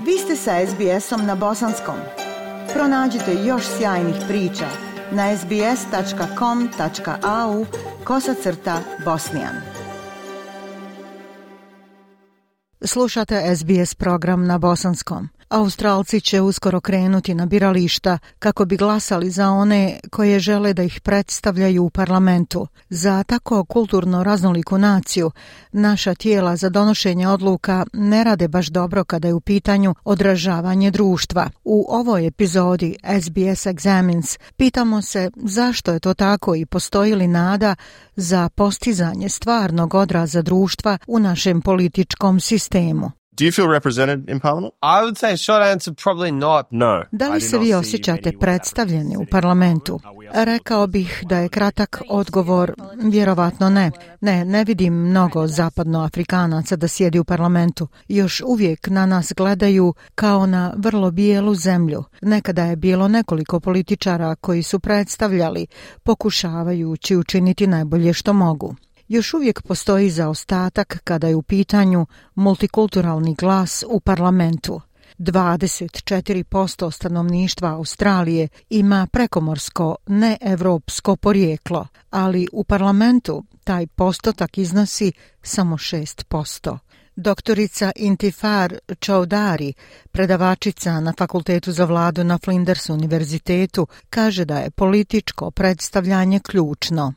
Vi ste sa SBS-om na bosanskom. Pronađite još sjajnih priča na sbs.com.au/bosnijan. Slušate SBS program na bosanskom. Australci će uskoro krenuti na birališta kako bi glasali za one koje žele da ih predstavljaju u parlamentu. Za tako kulturno raznoliku naciju naša tijela za donošenje odluka ne rade baš dobro kada je u pitanju odražavanje društva. U ovoj epizodi SBS Examines pitamo se zašto je to tako i postoji li nada za postizanje stvarnog odraza društva u našem političkom sistemu. Do you feel represented in Parliament? I would say short answer probably not. No. Da li se vi osjećate predstavljeni u parlamentu? Rekao bih da je kratak odgovor vjerovatno ne. Ne vidim mnogo zapadnoafrikanaca da sjedi u parlamentu. Još uvijek na nas gledaju kao na vrlo bijelu zemlju. Nekada je bilo nekoliko političara koji su predstavljali, pokušavajući učiniti najbolje što mogu. Još uvijek postoji zaostatak kada je u pitanju multikulturalni glas u parlamentu. 24% stanovništva Australije ima prekomorsko, neevropsko porijeklo, ali u parlamentu taj postotak iznosi samo 6%. Doktorica Intifar Chowdhury, predavačica na Fakultetu za vladu na Flinders univerzitetu, kaže da je političko predstavljanje ključno.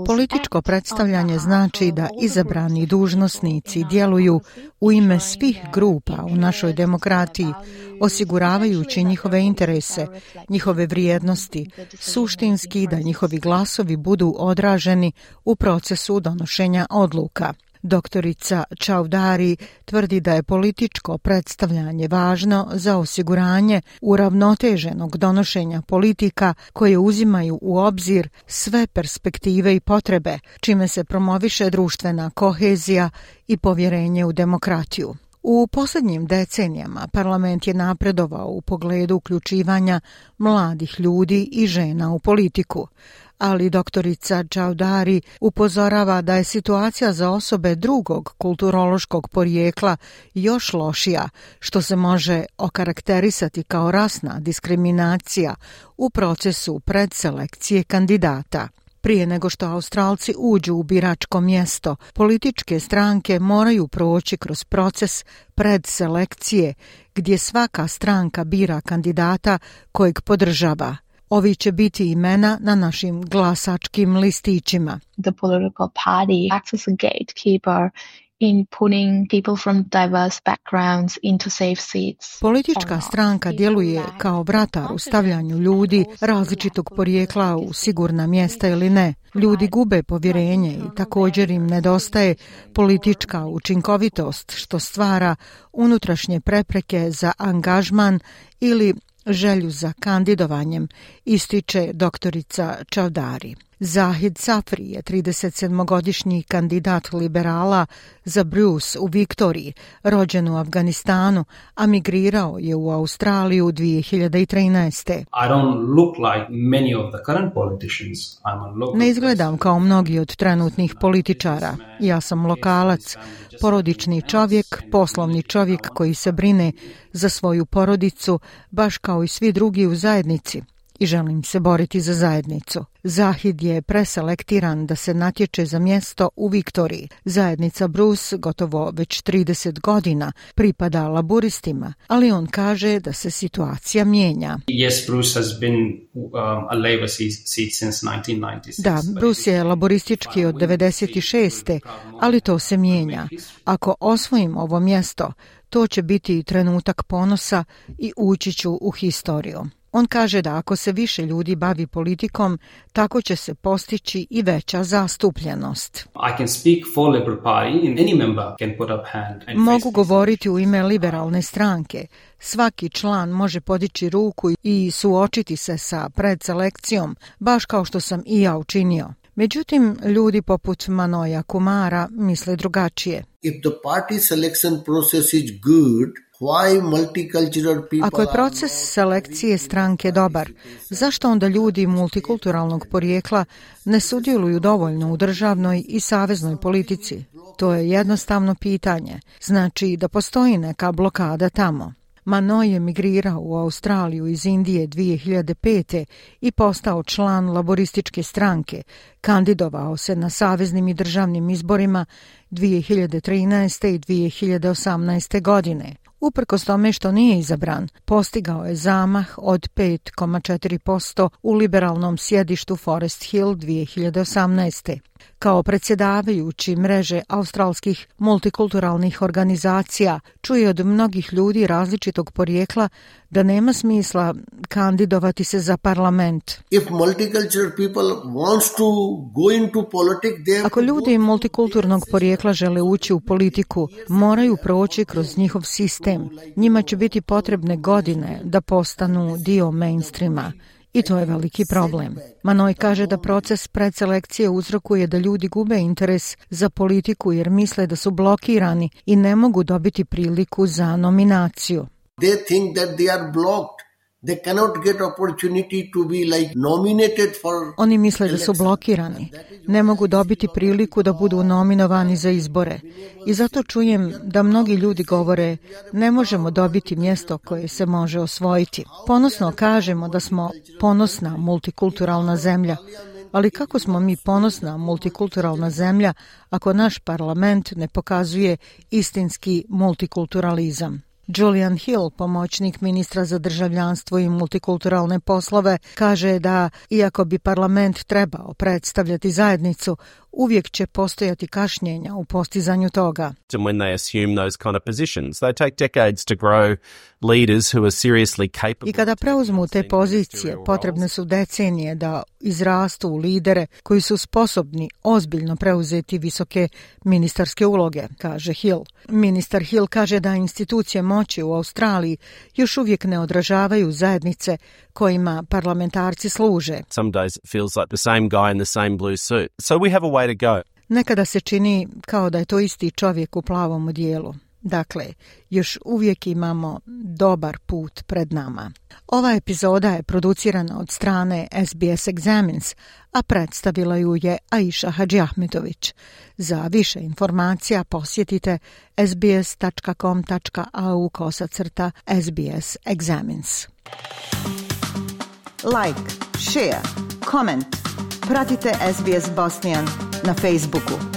Političko predstavljanje znači da izabrani dužnosnici djeluju u ime svih grupa u našoj demokratiji, osiguravajući njihove interese, njihove vrijednosti, suštinski da njihovi glasovi budu odraženi u procesu donošenja odluka. Doktorica Chowdhury tvrdi da je političko predstavljanje važno za osiguranje uravnoteženog donošenja politika koje uzimaju u obzir sve perspektive i potrebe, čime se promoviše društvena kohezija i povjerenje u demokratiju. U posljednjim decenijama parlament je napredovao u pogledu uključivanja mladih ljudi i žena u politiku, ali doktorica Chowdhury upozorava da je situacija za osobe drugog kulturološkog porijekla još lošija, što se može okarakterisati kao rasna diskriminacija u procesu predselekcije kandidata. Prije nego što Australci uđu u biračko mjesto, političke stranke moraju proći kroz proces predselekcije, gdje svaka stranka bira kandidata kojeg podržava. Ovi će biti imena na našim glasačkim listićima. The political party acts as a gatekeeper in putting people from diverse backgrounds into safe seats. Politička stranka djeluje kao vratar u stavljanju ljudi različitog porijekla u sigurna mjesta ili ne. Ljudi gube povjerenje i također im nedostaje politička učinkovitost, što stvara unutrašnje prepreke za angažman ili želju za kandidovanjem, ističe doktorica Chowdhury. Zahid Safri je 37-godišnji kandidat liberala za Bruce u Viktoriji, rođen u Afganistanu, a migrirao je u Australiju 2013. Ne izgledam kao mnogi od trenutnih političara. Ja sam lokalac, porodični čovjek, poslovni čovjek koji se brine za svoju porodicu, baš kao i svi drugi u zajednici. I želim se boriti za zajednicu. Zahid je preselektiran da se natječe za mjesto u Viktoriji. Zajednica Bruce gotovo već 30 godina pripada laburistima, ali on kaže da se situacija mijenja. Yes, Bruce has been a Labour seat since 1996. Da, Bruce je laboristički od 96. ali to se mijenja. Ako osvojim ovo mjesto, to će biti trenutak ponosa i ući ću u historiju. On kaže da ako se više ljudi bavi politikom, tako će se postići i veća zastupljenost. Mogu govoriti u ime liberalne stranke. Svaki član može podići ruku i suočiti se sa predselekcijom, baš kao što sam i ja učinio. Međutim, ljudi poput Manoja Kumara misle drugačije. If the party selection process is good, ako je proces selekcije stranke dobar, zašto onda ljudi multikulturalnog porijekla ne sudjeluju dovoljno u državnoj i saveznoj politici? To je jednostavno pitanje. Znači da postoji neka blokada tamo. Mano je migrirao u Australiju iz Indije 2005. i postao član laborističke stranke. Kandidovao se na saveznim i državnim izborima 2013. i 2018. godine. Uprkos tome što nije izabran, postigao je zamah od 5,4% u liberalnom sjedištu Forest Hill 2018. Kao predsjedavajući mreže australskih multikulturalnih organizacija, čuje od mnogih ljudi različitog porijekla da nema smisla kandidovati se za parlament. Ako ljudi multikulturnog porijekla žele ući u politiku, moraju proći kroz njihov sistem. Njima će biti potrebne godine da postanu dio mainstreama. I to je veliki problem. Manoj kaže da proces predselekcije uzrokuje da ljudi gube interes za politiku jer misle da su blokirani i ne mogu dobiti priliku za nominaciju. They think that they are blocked. They cannot get opportunity to be like nominated for. Oni misle da su blokirani. Ne mogu dobiti priliku da budu nominovani za izbore. I zato čujem da mnogi ljudi govore ne možemo dobiti mjesto koje se može osvojiti. Ponosno kažemo da smo ponosna multikulturalna zemlja. Ali kako smo mi ponosna multikulturalna zemlja ako naš parlament ne pokazuje istinski multikulturalizam? Julian Hill, pomoćnik ministra za državljanstvo i multikulturalne poslove, kaže da, iako bi parlament trebao predstavljati zajednicu, uvijek će postojati kašnjenja u postizanju toga. When they assume those kind of positions, they take decades to grow leaders who are seriously capable. I kada preuzmu te pozicije, potrebne su decenije da izrastu u lidere koji su sposobni ozbiljno preuzeti visoke ministarske uloge, kaže Hill. Ministar Hill kaže da institucije moći u Australiji još uvijek ne odražavaju zajednice kojima parlamentarci služe. Some days it feels like the same guy in the same blue suit. So we have a way to go. Nekada se čini kao da je to isti čovjek u plavom odijelu. Dakle, još uvijek imamo dobar put pred nama. Ova epizoda je producirana od strane SBS Examines, a predstavila ju je Aisha Hadžiahmetović. Za više informacija posjetite sbs.com.au/SBS Examines. Like, share, comment. Pratite SBS Bosnian na Facebooku.